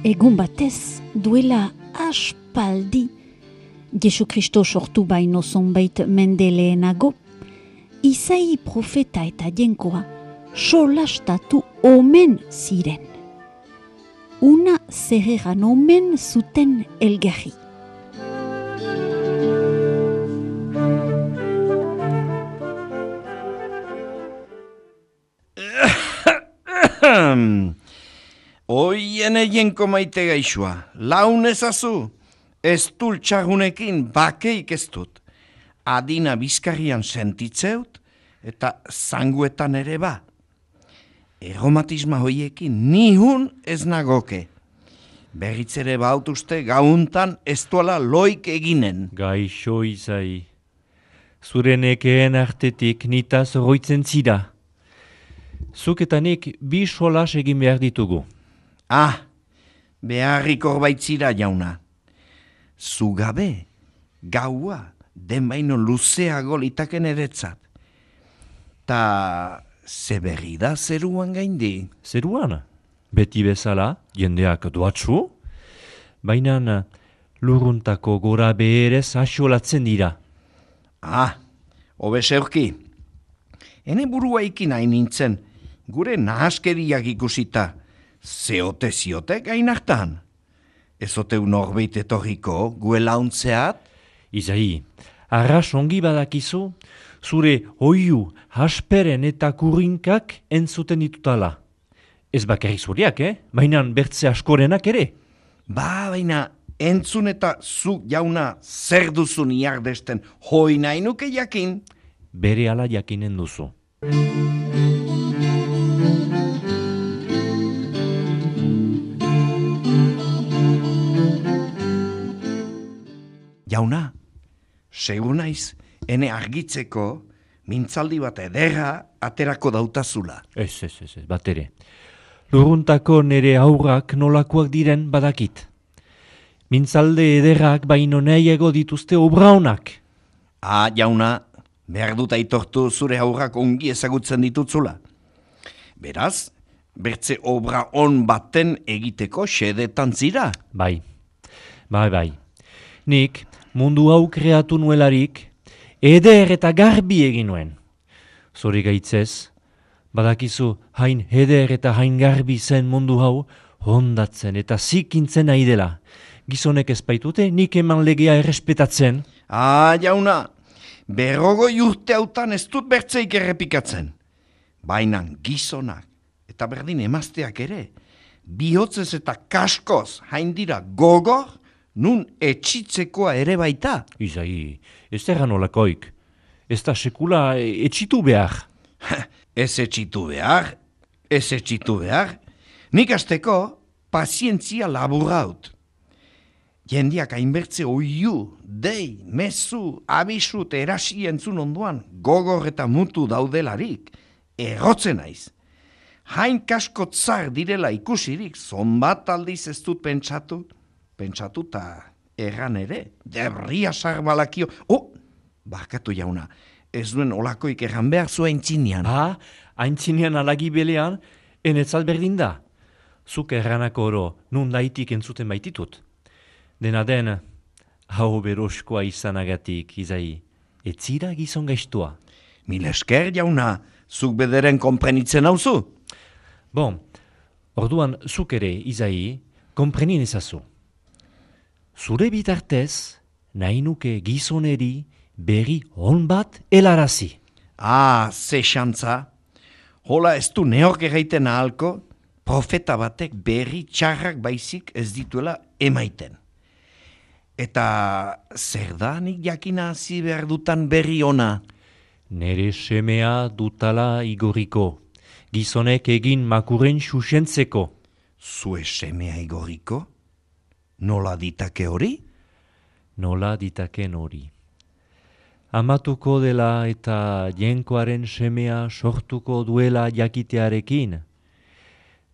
Egun batez, duela aspaldi, Jesu Kristo sortu baino zonbait mende lehenago, Isai profeta eta jenkoa solastatu omen ziren. Una zerregan omen zuten elgarri. Oien jenko maite gaixua, laun ezazu, ez dultxagunekin bakeik ez dut. Adina bizkarrian sentitzeut eta zanguetan ere ba. Erromatisma hoiekin nihun ez nagoke. Berritzere bautuzte gauntan ez duela loik eginen. Gaixo Isai, zure nekeen artetik nitaz roitzen zira. Zuk eta nik bi solas egin behar ditugu. Beharrik horbaitzira jauna. Zugabe, gaua, den baino luzeago litaken eretzat. Ta ze berri da zeruan gaindi? Zeruan, beti bezala, jendeak doatzu, baina lurruntako gora beherez asolatzen dira. Hobe zeurki. Hene burua ikin hain nintzen, gure nahaskeriak ikusita, zeote ziotek hain hartan. Ezoteu norbeit etorriko, gue launtzeat? Isai, arras ongi badakizu, zure oiu, hasperen eta kurrinkak entzuten ditutala. Ez bakarrik zuriak, baina bertze askorenak ere. Baina entzun eta zuk jauna zer duzun iardesten hoi nahi nuke jakin? Bere ala jakinen duzu. Jauna, segur naiz, ene argitzeko, mintzaldi bat ederra aterako dautazula. Ez, bat ere. Lurruntako nere aurrak nolakoak diren badakit. Mintzalde ederrak baino nahiago dituzte obraunak. Jauna, behar dut aitortu zure aurrak ongi ezagutzen ditutzula. Beraz, bertze obra on baten egiteko xedetan zira. Bai. Nik mundu hau kreatu nuelarik, eder eta garbi egin nuen. Zori gaitzez, badakizu hain eder eta hain garbi zen mundu hau, hondatzen eta zikintzen nahi dela. Gizonek ez baitute, nik eman legea errespetatzen. Jauna, 50 urte hautan ez dut bertzeik errepikatzen. Baina gizonak eta berdin emazteak ere, bihotzez eta kaskoz hain dira gogor, nun etxitzekoa ere baita. Isai, ez erran olakoik. Ez da sekula etxitu behar. Ez etxitu behar. Nik azteko pazientzia laburraut. Jendiak hainbertze oiu, dei, mezu, abisut, erasi entzun ondoan, gogor eta mutu daudelarik, errotzen naiz. Hain kasko tzar direla ikusirik, zonbat aldiz ez dut pentsatu eta erran ere, debria sarbalakio. Barkatu jauna, ez duen olakoik erran behar zu aintzinean. Aintzinean alagi belean, enetzat berdin da. Zuk erranako oro, nun daitik entzuten baititut. Dena den, hau beroskoa izanagatik, Isai, etzira gizon gaiztua. Mil esker jauna, zuk bederen konprenitzen hauzu. Orduan zuk ere, Isai, konprenin ezazu. Zure bitartez, nahi nuke gizoneri berri hon bat helarazi. Ze xantza. Hola ez du neok erraiten ahalko, profeta batek berri txarrak baizik ez dituela emaiten. Eta zer da nik jakina hasi behar dutan berri ona? Nere semea dutala igoriko, gizonek egin makuren xuxentzeko. Zue semea igoriko? Nola ditake hori? Nola ditaken hori. Amatuko dela eta jenkoaren semea sortuko duela jakitearekin.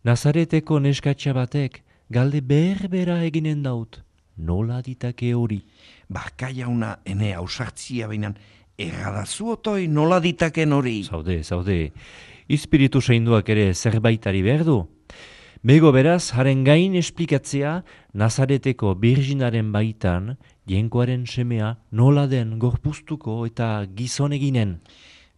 Nazareteko neskatxa batek galde berbera eginen daut. Nola ditake hori? Barka jauna ene ausartzia bainan erradazu otoi nola ditaken hori? Zaude. Espiritu seinduak ere zerbaitari behar du. Bego beraz, haren gain esplikatzea, Nazareteko Birjinaren baitan, Jainkoaren semea nola den gorpuztuko eta gizon eginen.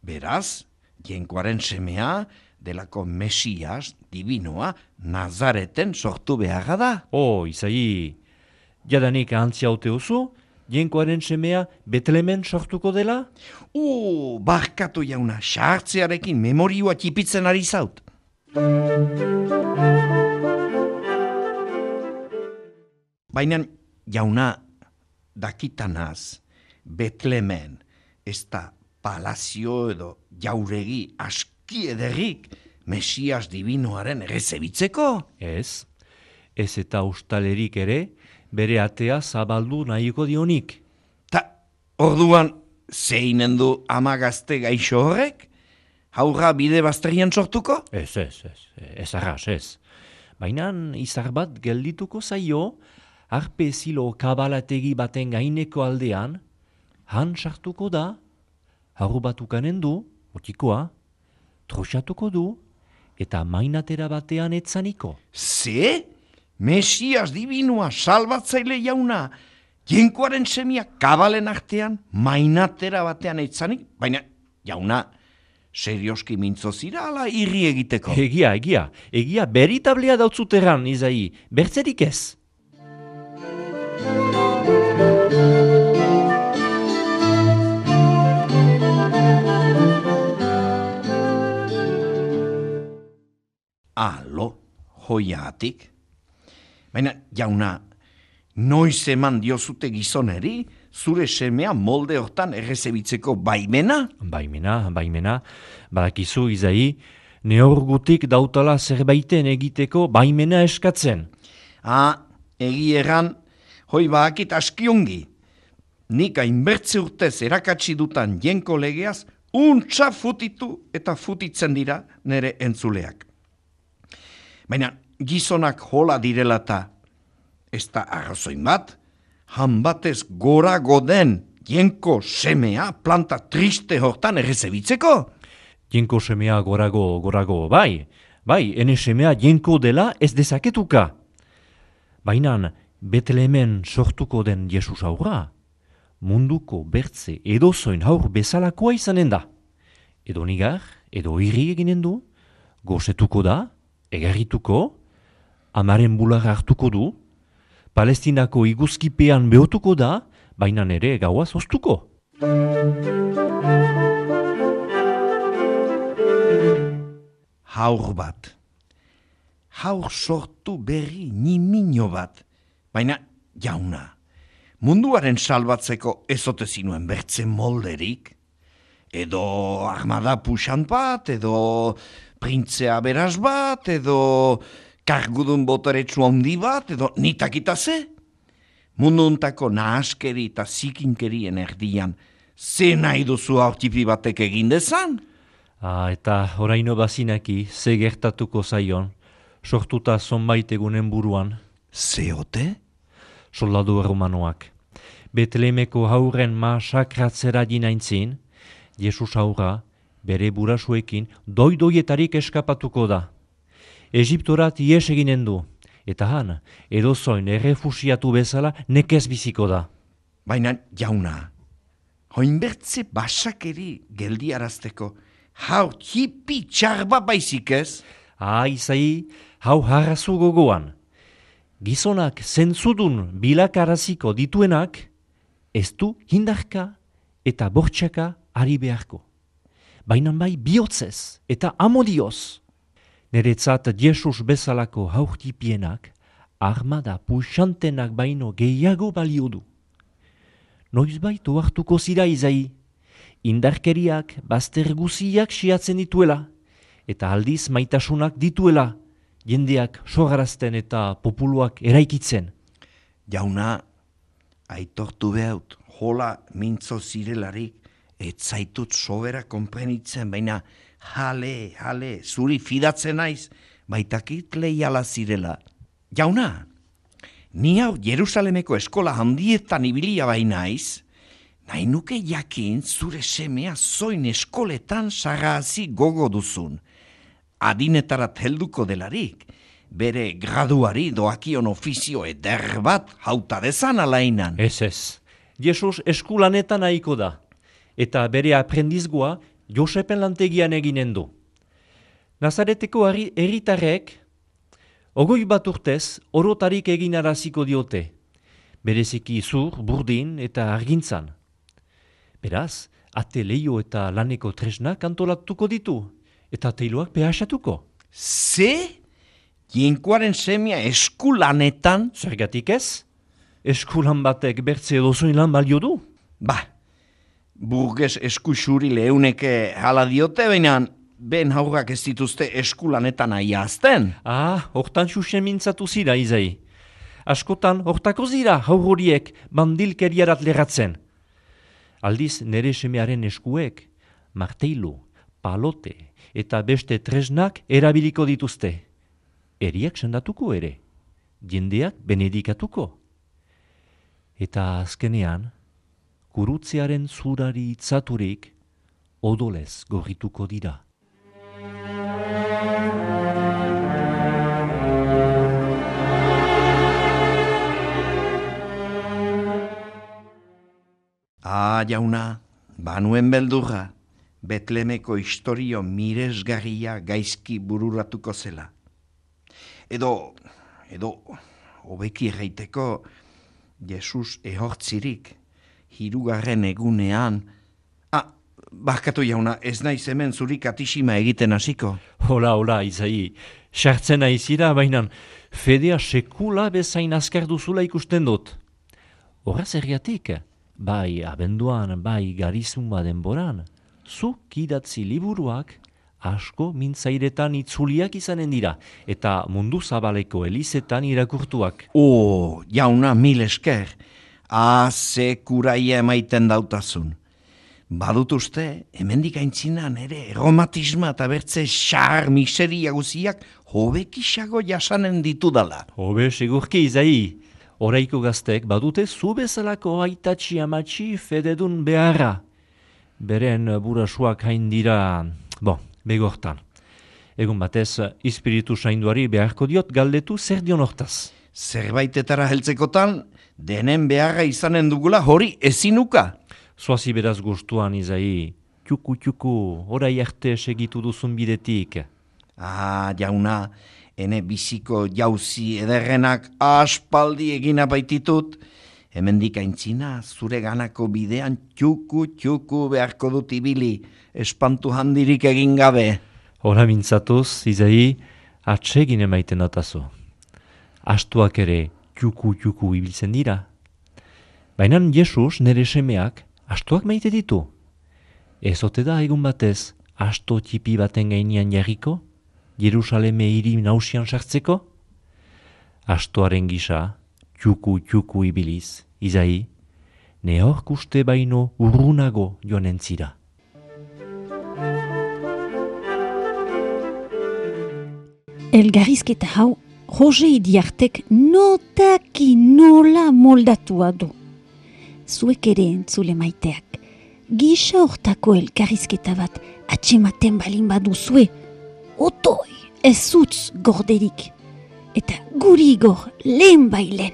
Beraz, Jainkoaren semea delako Mesias divinoa Nazareten sortu beharra da. Izai, jadanik antzia haute oso, Jainkoaren semea Betlemen sortuko dela? Barkatu jauna, sartzearekin memorioa txipitzen ari zaut. Baina jauna, dakitanaz, Betlemen, ez da palazio edo jauregi aski ederrik Mesias divinoaren errezebitzeko? Ez eta ustalerik ere, bere atea zabaldu nahiko dionik. Ta, orduan, zeinen du ama gazte gaixo horrek? Haurra bide bazterian sortuko? Ez arras, ez. Baina izar bat geldituko zaio, arpe zilo kabalategi baten gaineko aldean, han sartuko da, haur bat ukanen du, otikoa, troxatuko du, eta mainatera batean etzaniko. Ze? Mesias divinoa salbatzaile jauna, Jainkoaren semia kabalen artean, mainatera batean etzanik, baina jauna, serioski mintzo zira ala irri egiteko? Egia, beritablea dautzuteran, izai, bertzerik ez. Alo, hoiatik. Baina, jauna, noiz eman diozute gizoneri, zure semea molde hortan errezebitzeko baimena? Baimena. Badakizu, izai, neorgutik dautala zerbaiten egiteko baimena eskatzen. Egi erran, hoi badakit askiongi. Nik hainbertze urtez erakatsi dutan Jenko legeaz, untsa futitu eta futitzen dira nere entzuleak. Baina, gizonak hola direla eta ez da arrazoin bat, han batez gorago den Jenko semea planta triste hortan errezebitzeko? Jenko semea gorago, bai, ene semea Jenko dela ez dezaketuka. Baina, Betlemen sortuko den Jesus aurra, munduko bertze edozoin haur bezalakoa izanen da. Edo nigar, edo irri eginen du, gozetuko da, egarrituko, amaren bularra hartuko du, Palestinako iguzkipean behotuko da, baina ere gaua zoztuko. Haur bat. Haur sortu berri nimino bat. Baina, jauna, munduaren salbatzeko ezote zinuen bertzen molderik? Edo armada puxan bat, edo printzea beraz bat, edo kargudun boteretsu handi bat, edo nitakita ze? Munduntako nahaskeri eta zikinkerien erdian, ze nahi duzu aurtipi batek egin dezan? Eta oraino bazinaki, ze gertatuko zaion, sortuta zonbait egunen buruan. Zeote? Soldadu erromanoak. Betlemeko hauren masakratzera dinaintzin, Jesus aurra, bere burasuekin, doidoietarik eskapatuko da. Egiptorat ies eginen du, eta han, edozoin errefusiatu bezala nekez biziko da. Baina, jauna, hoinbertze basakeri geldiarazteko, hau hipi txarba baizik ez? Izai, hau harrazu gogoan. Gizonak zentzudun bilakaraziko dituenak, ez du hindarka eta bortxaka ari beharko. Baina bai bihotzez eta amodioz. Neretzat Jesus bezalako haurtipienak, armada puxantenak baino gehiago balio du. Noizbait ohartuko zira izai, indarkeriak bazter guziak siatzen dituela, eta aldiz maitasunak dituela, jendeak sogarazten eta populuak eraikitzen. Jauna, aitortu behaut, hola mintzo zirelarik, ez zaitut sobera konprenitzen, baina jale, zuri fidatzen naiz, baitakit leiala zirela. Jauna, ni hau Jerusalemeko eskola handietan ibilia bainaiz, nahi nuke jakin zure semea zoin eskoletan sagazi gogo duzun. Adinetarat helduko delarik, bere graduari doakion ofizio eder bat hauta dezan alainan. Ez. Jesus eskulanetan nahiko da. Eta bere aprendizgoa Josepen lantegian eginen du. Nazareteko herritarrek 21 urtez orotarik egin araziko diote. Bereziki zur, burdin eta argintzan. Beraz, ate leio eta laneko tresnak antolatuko ditu. Eta teiloak behasatuko. Ze? Jainkoaren semia eskulanetan? Zergatik ez? Eskulan batek bertze edozoin lan balio du? Burges eskusuri leuneke hala diote, baina ben haurrak ez dituzte eskulanetan aiazten. Hortan xuxen mintzatu zira, Izai. Askotan, hortako zira haur horiek bandilkeriarat lerratzen. Aldiz, nere semearen eskuek, marteilu, palote eta beste tresnak erabiliko dituzte. Eriak sendatuko ere, jendeak benedikatuko. Eta azkenean, gurutzearen zurari itzaturik odolez gorrituko dira. Jauna, banuen beldurra, Betlemeko historio miresgarria gaizki bururatuko zela. Edo, hobeki erraiteko, Jesus ehortzirik, 3. egunean, barkatu jauna, ez naiz hemen zuri katisima egiten hasiko. Hola, Izai, sartzen aizira, baina fedea sekula bezain azkar duzula ikusten dut. Horraz erriatik, bai abenduan, bai garizumba denboran, zuk idatzi liburuak asko mintzairetan itzuliak izanen dira, eta mundu zabaleko elizetan irakurtuak. Jauna, mil esker, ze kuraia emaiten dautazun. Badut uste, hemendik aintzinan ere eromatisma eta bertze xar miseria guziak hobekisago jasanen ditudala. Hobe, segurki, Izai. Oraiko gaztek badute zu bezalako aitatxi amatxi fededun beharra. Beren burasuak hain dira, begortan. Egun batez, espiritu sainduari beharko diot galdetu zer dion hortaz. Zerbaitetara heltzekotan, denen beharra izanen dugula hori ezinuka. Zoazi beraz gustuan, Izai. Txuku, orai arte segitu duzun bidetik. Jauna, ene biziko jauzi ederrenak aspaldi egina baititut, hemendik aintzina zure ganako bidean txuku beharko dut ibili, espantu handirik egin gabe. Hora mintzatuz, Izai, atsegin emaiten datazu. Astuak ere txuku ibiltzen dira. Baina Jesus nere semeak astuak maite ditu. Ez ote da egun batez asto txipi baten gainean jarriko, Jerusaleme hiri nausian sartzeko? Astoaren gisa, txuku ibiliz, Izai, nehork uste baino urrunago joan entzira. Elgarrizketa hau, Jose Idiartek notaki nola moldatua du. Zuek ere entzule maiteak, gisa hortako elgarrizketa bat atxematen balin baduzue, otoi ez zutz gorderik, eta guri gor lehen bailen.